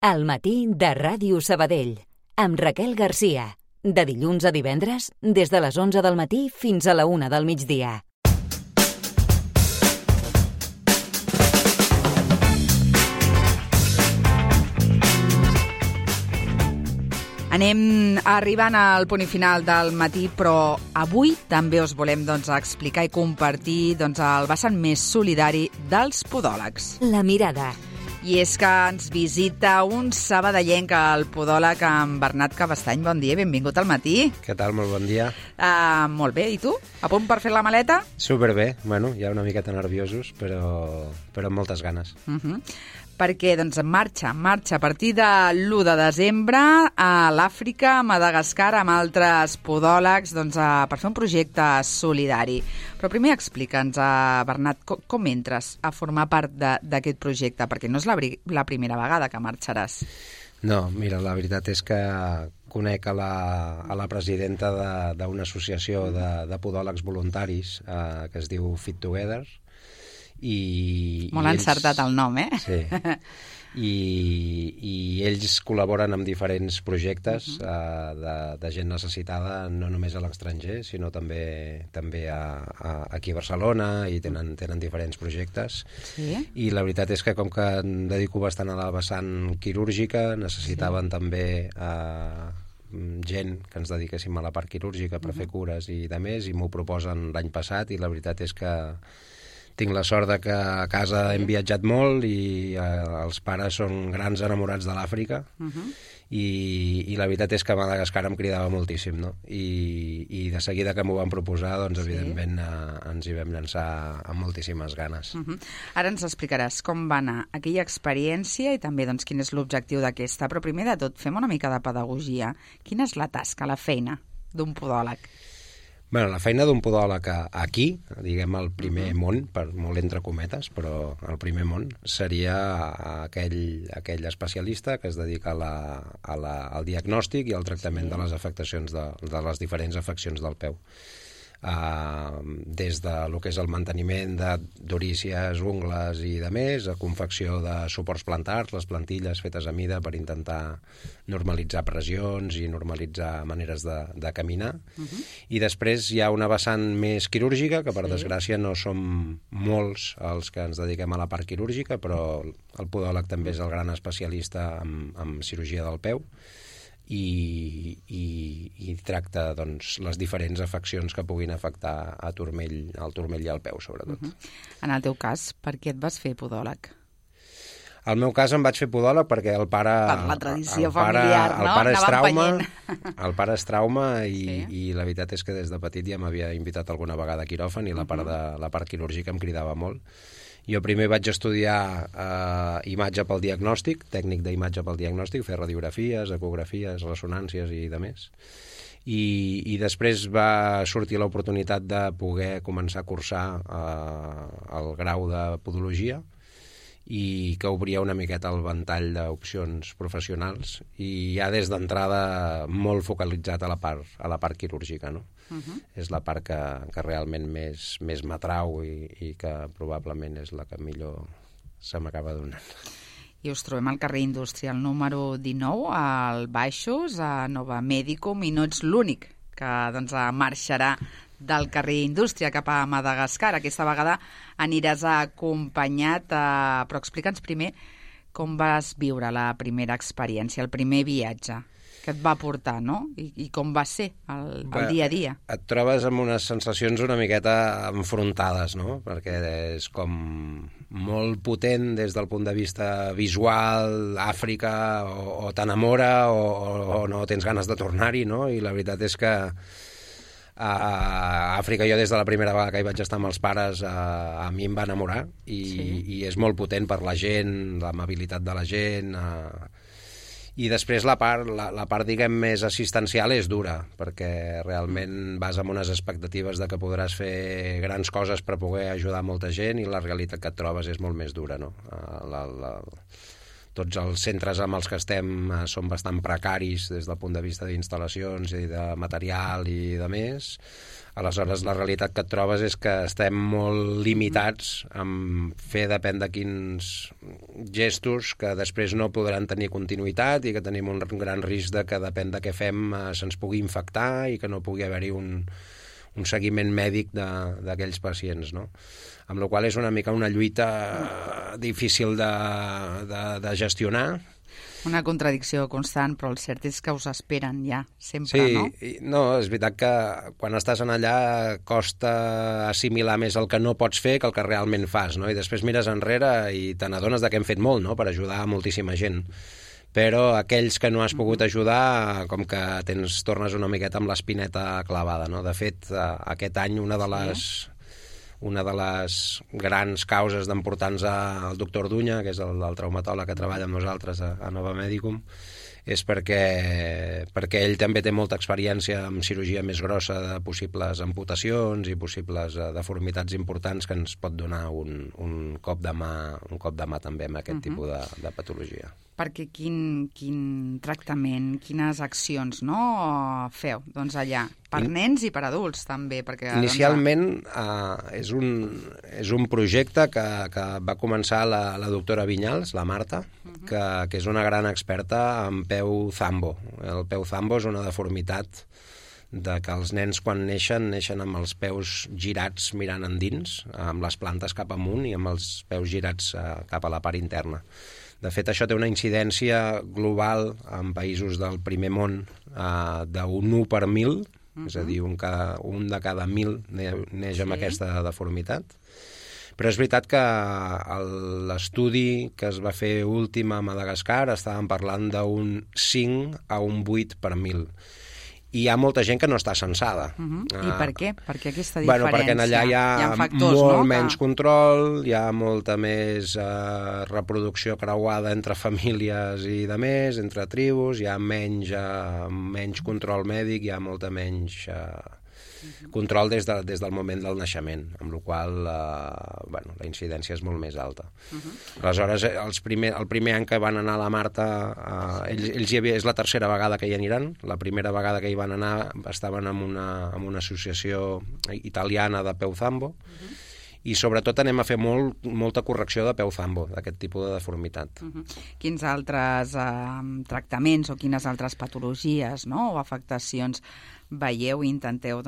Al matí de Ràdio Sabadell, amb Raquel Garcia. De dilluns a divendres, des de les 11 del matí fins a la 1 del migdia. Anem arribant al punt final del matí, però avui també us volem explicar i compartir el vessant més solidari dels podòlegs. La mirada. I és que ens visita un sabadellenc, el podòleg en Bernat Cabestany. Bon dia, benvingut al matí. Què tal? Molt bon dia. Molt bé, i tu? A punt per fer la maleta? Superbé. Bueno, ja una miqueta nerviosos, però amb moltes ganes. Perquè marxa a partir de l'1 de desembre a l'Àfrica, a Madagascar, amb altres podòlegs, per fer un projecte solidari. Però primer explica'ns, Bernat, com entres a formar part d'aquest projecte? Perquè no és la primera vegada que marxaràs. No, mira, la veritat és que conec a la presidenta d'una associació de podòlegs voluntaris que es diu Fit Together. Molt encertat el nom, eh? Sí. I ells col·laboren amb diferents projectes de gent necessitada, no només a l'estranger, sinó també aquí a Barcelona, i tenen diferents projectes. Sí. I la veritat és que com que em dedico bastant a la vessant quirúrgica, necessitaven també gent que ens dediquéssim a la part quirúrgica per fer cures i de més, i m'ho proposen l'any passat, i la veritat és que tinc la sort que a casa hem viatjat molt i els pares són grans enamorats de l'Àfrica, i la veritat és que Madagascar em cridava moltíssim, no? I de seguida que m'ho van proposar, evidentment ens hi vam llançar amb moltíssimes ganes. Ara ens explicaràs com va anar aquella experiència i també quin és l'objectiu d'aquesta, però primer de tot fem una mica de pedagogia. Quina és la tasca, la feina d'un podòleg? Bueno, la feina d'un podòleg aquí, diguem el primer món, per molt entre cometes, però el primer món seria aquell especialista que es dedica al diagnòstic i al tractament de les afectacions, de les diferents afeccions del peu. Des de lo que és el manteniment d'orícies, ungles i de més, a confecció de suports plantars, les plantilles fetes a mida per intentar normalitzar pressions i normalitzar maneres de caminar. I després hi ha una vessant més quirúrgica, que per desgràcia no som molts els que ens dediquem a la part quirúrgica, però el podòleg també és el gran especialista en cirurgia del peu, i tracta les diferents afeccions que puguin afectar al turmell i al peu, sobretot. En el teu cas, per què et vas fer podòleg? Al meu cas em vaig fer podòleg perquè el pare... Per la tradició familiar, no? El pare és trauma i la veritat és que des de petit ja m'havia invitat alguna vegada a quiròfan, i la part quirúrgica em cridava molt. Jo primer vaig estudiar imatge pel diagnòstic, tècnic d'imatge pel diagnòstic, fer radiografies, ecografies, ressonàncies i de més. I després va sortir l'oportunitat de poder començar a cursar el grau de podologia, i que obria una miqueta el ventall d'opcions professionals, i ja des d'entrada molt focalitzat a la part quirúrgica, no? És la part que realment més m'atrau i que probablement és la que millor se m'acaba donant. I us trobem al carrer Industrial número 19, al Baixos, a Nova Medicum, i no ets l'únic que marxarà del carrer Indústria cap a Madagascar. Aquesta vegada aniràs acompanyat, però explica'ns primer com vas viure la primera experiència, el primer viatge que et va portar, no? I com va ser el dia a dia. Et trobes amb unes sensacions una miqueta enfrontades, no? Perquè és com molt potent des del punt de vista visual, Àfrica, o t'enamora o no tens ganes de tornar-hi, no? I la veritat és que a Àfrica, jo des de la primera vegada que hi vaig estar amb els pares, a mi em va enamorar, i és molt potent per la gent, l'amabilitat de la gent. I després la part diguem, més assistencial és dura, perquè realment vas amb unes expectatives de que podràs fer grans coses per poder ajudar molta gent, i la realitat que et trobes és molt més dura, no? tots els centres amb els que estem són bastant precaris des del punt de vista d'instal·lacions i de material i de més. Aleshores, la realitat que et trobes és que estem molt limitats en fer depèn de quins gestos que després no podran tenir continuïtat i que tenim un gran risc de que depèn de què fem se'ns pugui infectar i que no pugui haver-hi un seguiment mèdic d'aquells pacients, no? Amb la qual cosa és una mica una lluita difícil de gestionar. Una contradicció constant, però el cert és que us esperen ja, sempre, no? Sí, no, és veritat que quan estàs en allà costa assimilar més el que no pots fer que el que realment fas, no? I després mires enrere i te n'adones que hem fet molt, no?, per ajudar a moltíssima gent. Però aquells que no has pogut ajudar, com que tornes una miqueta amb l'espineta clavada, no? De fet, aquest any una de les grans causes d'emportar-nos al doctor Dunya, que és el traumatòleg que treballa amb nosaltres a Nova Medicum, és perquè ell també té molta experiència en cirurgia més grossa de possibles amputacions i possibles deformitats importants que ens pot donar un cop de mà també amb aquest tipus de patologia. Perquè quin tractament, quines accions, no, feu doncs allà? Per nens i per adults, també. Perquè, inicialment és un projecte que va començar la doctora Vinyals, la Marta, que és una gran experta en peu zambo. El peu zambo és una deformitat de que els nens quan neixen amb els peus girats mirant endins, amb les plantes cap amunt i amb els peus girats cap a la part interna. De fet, això té una incidència global en països del primer món d'un 1 per 1.000, és a dir, un de cada 1.000 neix amb aquesta deformitat. Però és veritat que l'estudi que es va fer últim a Madagascar estàvem parlant d'un 5 a un 8 per 1.000. I hi ha molta gent que no està censada. I per què? Per què aquesta diferència? Bueno, perquè allà hi ha factors, molt menys control, hi ha molta més reproducció creuada entre famílies i de més, entre tribus, hi ha menys control mèdic, hi ha molta menys control des del moment del naixement, amb la qual la incidència és molt més alta. Aleshores, el primer any que van anar a la Marta, és la tercera vegada que hi aniran. La primera vegada que hi van anar estaven amb una associació italiana de peu zambo, i sobretot anem a fer molta correcció de peu zambo, d'aquest tipus de deformitat. Quins altres tractaments o quines altres patologies, no?, o afectacions veieu i intenteu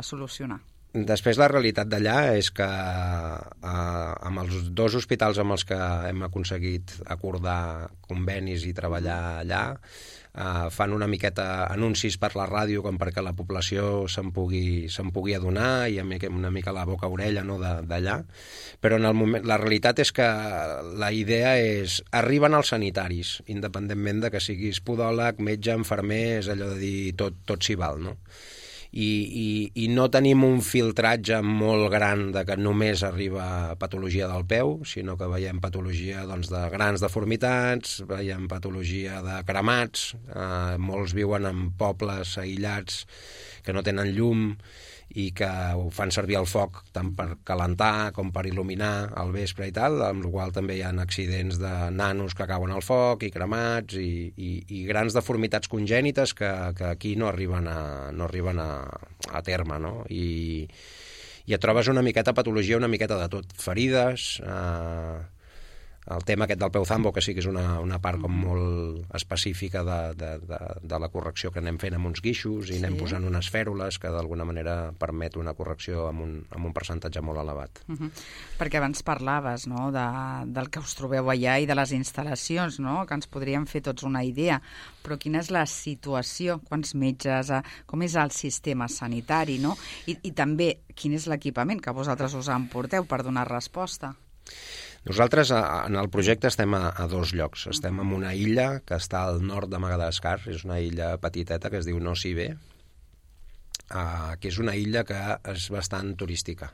solucionar? Després, la realitat d'allà és que amb els 2 hospitals amb els que hem aconseguit acordar convenis i treballar allà, fan una miqueta anuncis per la ràdio com perquè la població se'n pugui adonar i una mica la boca-orella, no, d'allà. Però en el moment, la realitat és que la idea és arriben els sanitaris, independentment de que siguis podòleg, metge, infermer, és allò de dir tot s'hi val, no? I no tenim un filtratge molt gran de que només arriba patologia del peu, sinó que veiem patologia de grans deformitats, veiem patologia de cremats, molts viuen en pobles aïllats que no tenen llum i que ho fan servir el foc tant per calentar com per il·luminar al vespre i tal, amb la qual també hi ha accidents de nanos que cauen al foc i cremats i grans deformitats congènites que aquí no arriben a terme, no? I et trobes una miqueta patologia, una miqueta de tot, ferides, el tema aquest del peu zambo, que sí que és una part com molt específica de la correcció que anem fent amb uns guixos i anem posant unes fèrules que d'alguna manera permet una correcció amb un percentatge molt elevat. Perquè abans parlaves, no?, del que us trobeu allà i de les instal·lacions, no?, que ens podríem fer tots una idea, però quina és la situació, quants metges, com és el sistema sanitari, no?, i també quin és l'equipament que vosaltres us emporteu per donar resposta? Nosaltres en el projecte estem a 2 llocs. Estem en una illa que està al nord de Madagascar, és una illa petiteta que es diu Nosy-Be, que és una illa que és bastant turística.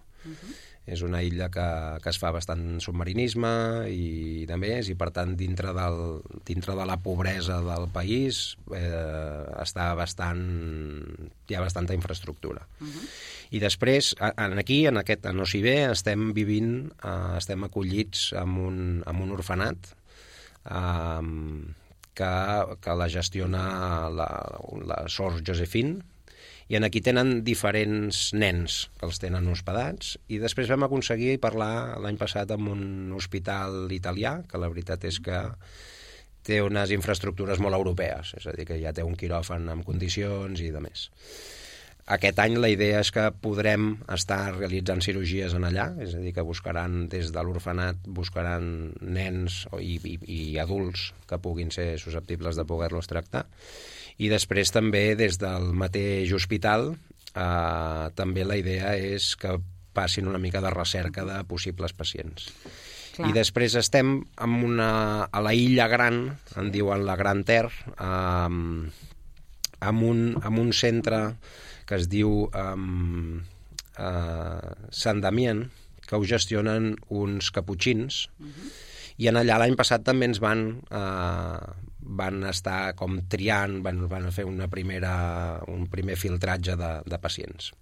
És una illa que es fa bastant submarinisme i de més, i per tant dintre de la pobresa del país hi ha bastanta infraestructura. I després, aquí, a Nosy-Be, estem acollits en un orfenat que la gestiona la Sor Josephine, i aquí tenen diferents nens que els tenen hospedats, i després vam aconseguir parlar l'any passat amb un hospital italià, que la veritat és que té unes infraestructures molt europees, és a dir, que ja té un quiròfan amb condicions i de més. Aquest any la idea és que podrem estar realitzant cirurgies en allà, és a dir, que buscaran des de l'orfenat, buscaran nens i adults que puguin ser susceptibles de poder-los tractar. I després també des del mateix hospital també la idea és que passin una mica de recerca de possibles pacients. Clar. I després estem a la Illa Gran, en diuen la Gran Terre, amb un centre que es diu Sant Damien, que ho gestionen uns caputxins, i en allà l'any passat també ens van estar com triant, van fer un primer filtratge de pacients.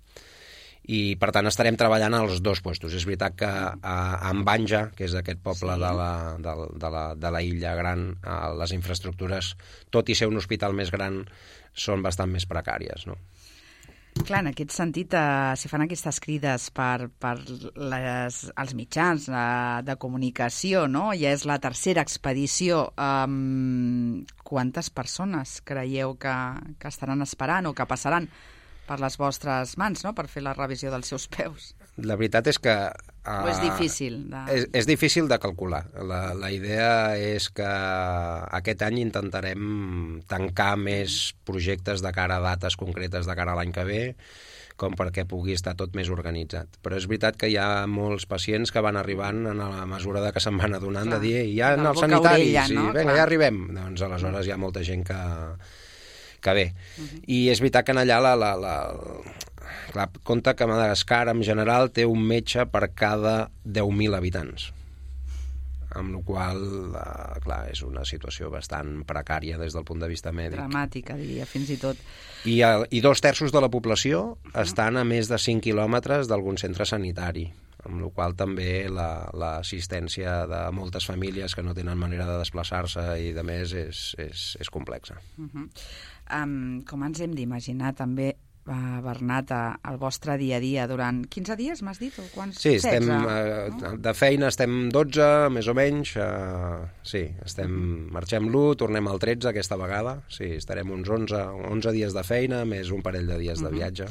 I, per tant, estarem treballant als dos puestos. És veritat que a Banja, que és aquest poble de la Illa Gran, les infraestructures, tot i ser un hospital més gran, són bastant més precàries, no? Clar, en aquest sentit, si fan aquestes crides per als mitjans de comunicació, no? Ja és la tercera expedició. Quantes persones creieu que estaran esperant o que passaran per les vostres mans, no?, per fer la revisió dels seus peus? La veritat és que... O és difícil? És difícil de calcular. La idea és que aquest any intentarem tancar més projectes de cara a dates concretes de cara a l'any que ve, com perquè pugui estar tot més organitzat. Però és veritat que hi ha molts pacients que van arribant a la mesura de que se'n van adonant, de dir, ja en els sanitaris, no? Vinga, ja arribem. Doncs aleshores hi ha molta gent que ve. I és veritat que en allà clar, compta que Madagascar en general té un metge per cada 10.000 habitants, amb la qual clar, és una situació bastant precària des del punt de vista mèdic. Dramàtica, diria, fins i tot. I 2/3 de la població estan a més de 5 quilòmetres d'algun centre sanitari, amb la qual també l'assistència de moltes famílies que no tenen manera de desplaçar-se i de més és complexa. Com ens hem d'imaginar també, Bernat, el vostre dia a dia durant 15 dies, m'has dit? O quants? Sí, estem, de feina estem 12, més o menys. Sí, marxem l'1, tornem al 13 aquesta vegada. Sí, estarem uns 11 dies de feina, més un parell de dies de viatge.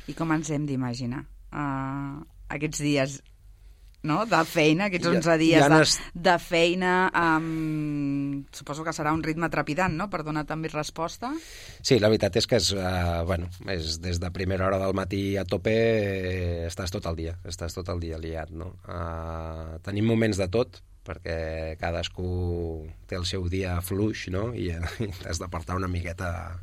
I com ens hem d'imaginar aquests dies, no?, de feina, aquests 11 dies de feina? Suposo que serà un ritme trepidant, no?, per donar també resposta. Sí, la veritat és que és des de primera hora del matí a tope, estàs tot el dia liat, no? Tenim moments de tot, perquè cadascú té el seu dia fluix, no?, i has d'apartar una miqueta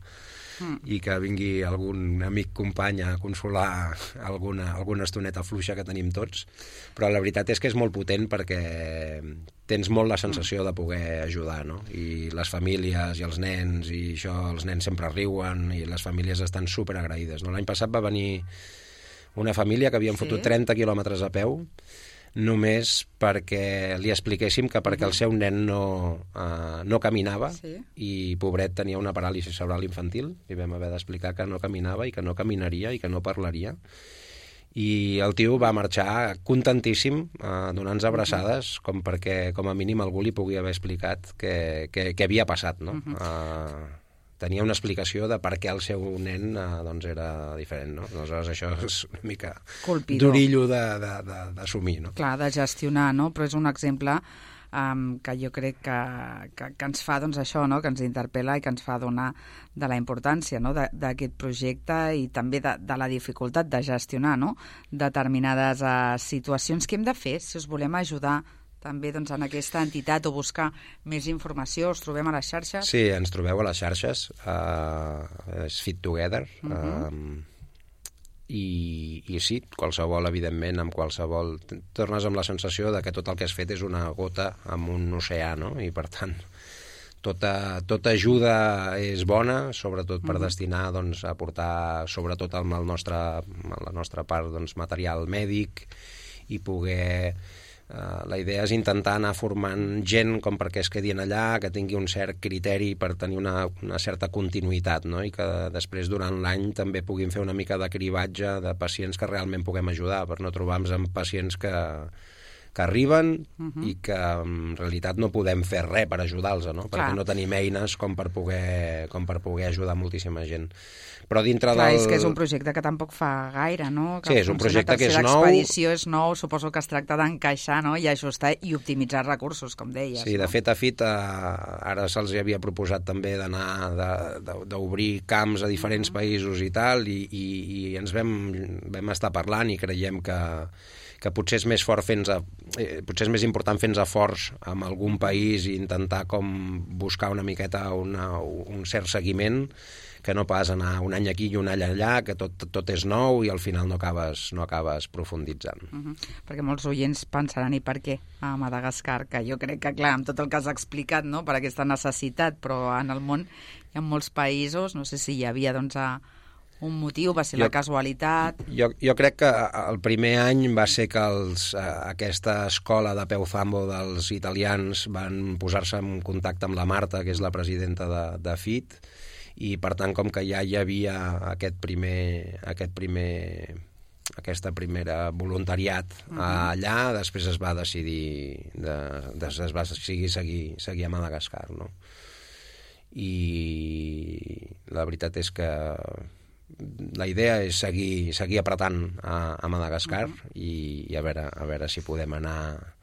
i que vingui algun amic company a consolar alguna estoneta fluixa que tenim tots, però la veritat és que és molt potent perquè tens molt la sensació de poder ajudar, no? I les famílies i els nens, i això, els nens sempre riuen i les famílies estan superagraïdes, no? L'any passat va venir una família que havien fotut 30 quilòmetres a peu només perquè li expliquéssim que perquè el seu nen no caminava i pobret tenia una paràlisi cerebral infantil, i vam haver d'explicar que no caminava i que no caminaria i que no parlaria, i el tio va marxar contentíssim, donant-nos abraçades, com perquè com a mínim algú li pugui haver explicat què havia passat, no? Tenia una explicació de per què el seu nen doncs era diferent, no? Aleshores això és una mica durillo d'assumir, no? Clar, de gestionar, no? Però és un exemple que jo crec que ens fa, doncs, això, no?, que ens interpel·la i que ens fa donar de la importància, no?, d'aquest projecte i també de la dificultat de gestionar, no?, determinades situacions. Què hem de fer si us volem ajudar també, doncs, en aquesta entitat o buscar més informació? Us trobem a les xarxes? Sí, ens trobeu a les xarxes. És Fit Together. I sí, qualsevol, evidentment, amb qualsevol... Tornes amb la sensació de que tot el que has fet és una gota en un oceà, no? I, per tant, tota ajuda és bona, sobretot per destinar, doncs, a aportar, sobretot amb la nostra part, doncs, material mèdic, i poder La idea és intentar anar formant gent com perquè es quedin allà, que tingui un cert criteri per tenir una certa continuïtat, no? I que després durant l'any també puguin fer una mica de cribatge de pacients que realment puguem ajudar, per no trobar-nos amb pacients que arriben i que en realitat no podem fer res per ajudar-los, no? Perquè no tenim eines com per poder ajudar moltíssima gent. Però dintre del... és que és un projecte que tampoc fa gaire, no? Sí, és un projecte que és nou. L'expedició és nou, suposo que es tracta d'encaixar, no? I ajustar i optimitzar recursos, com deies. Sí, de fet a FIT ara se'ls havia proposat també d'obrir camps a diferents països i tal, i ens vam estar parlant i creiem que potser és més potser és més important fer-nos forts en algun país i intentar com buscar una miqueta un cert seguiment, que no pas anar un any aquí i un any allà, que tot és nou i al final no acabes profunditzant. Perquè molts oients pensaran i per què a Madagascar, que jo crec que, clar, amb tot el que has explicat, no?, per aquesta necessitat, però en el món hi ha molts països, no sé si hi havia, doncs, un motiu, va ser la casualitat... Jo crec que el primer any va ser que aquesta escola de peu zambo dels italians van posar-se en contacte amb la Marta, que és la presidenta de FIT, i per tant, com que ja hi havia aquest voluntariat allà, després es va decidir seguir a Madagascar, no? I la veritat és que la idea és seguir apretant a Madagascar i a veure si podem anar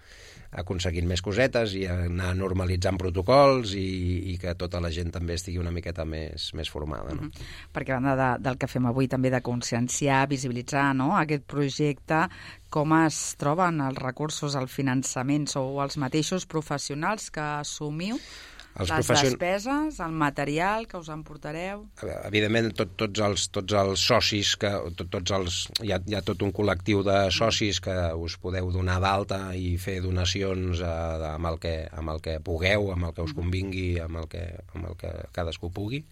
aconseguint més cosetes i anar normalitzant protocols i que tota la gent també estigui una miqueta més formada. No? Perquè a banda del que fem avui també de conscienciar, visibilitzar, no?, aquest projecte, com es troben els recursos, el finançament? Sou els mateixos professionals que assumiu les despeses, el material que us emportareu? Evidentment, tots els socis, hi ha tot un col·lectiu de socis que us podeu donar d'alta i fer donacions amb el que pugueu, amb el que us convingui, amb el que cadascú pugui.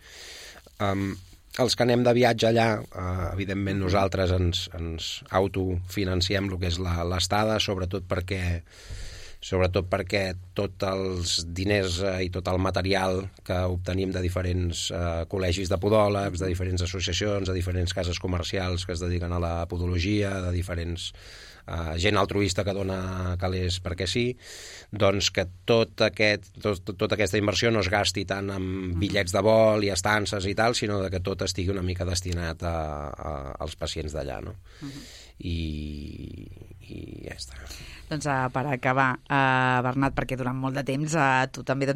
Els que anem de viatge allà, evidentment nosaltres ens autofinanciem el que és l'estada, sobretot perquè tots els diners i tot el material que obtenim de diferents col·legis de podòlegs, de diferents associacions, de diferents cases comercials que es dediquen a la podologia, de diferents gent altruista que dona calés perquè sí, doncs que tota aquesta inversió no es gasti tant en bitllets de vol i estances i tal, sinó que tot estigui una mica destinat als pacients d'allà, no? I ja està. Doncs per acabar, Bernat, perquè durant molt de temps tu també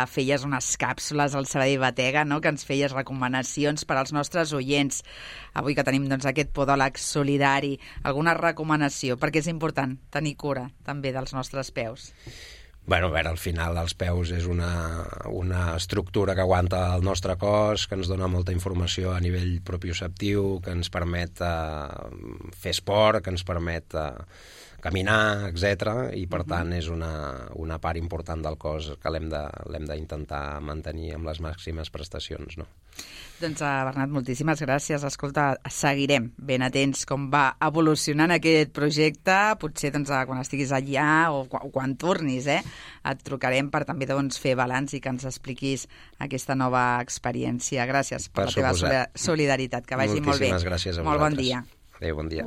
feies unes càpsules al Sabadell Batega, no?, que ens feies recomanacions per als nostres oients. Avui que tenim aquest podòleg solidari, alguna recomanació? Perquè és important tenir cura també dels nostres peus. Bueno, a veure, al final els peus és una estructura que aguanta el nostre cos, que ens dona molta informació a nivell propioceptiu, que ens permet fer esport, que ens permet caminar, etc. I per tant és una part important del cos que l'hem d'intentar mantenir amb les màximes prestacions, no? Doncs, Bernat, moltíssimes gràcies. Escolta, seguirem ben atents com va evolucionant aquest projecte. Potser quan estiguis allà o quan tornis, et trucarem per també fer balanç i que ens expliquis aquesta nova experiència. Gràcies per la teva solidaritat. Que vagi molt bé. Moltíssimes gràcies a vosaltres. Molt bon dia. Adéu, bon dia.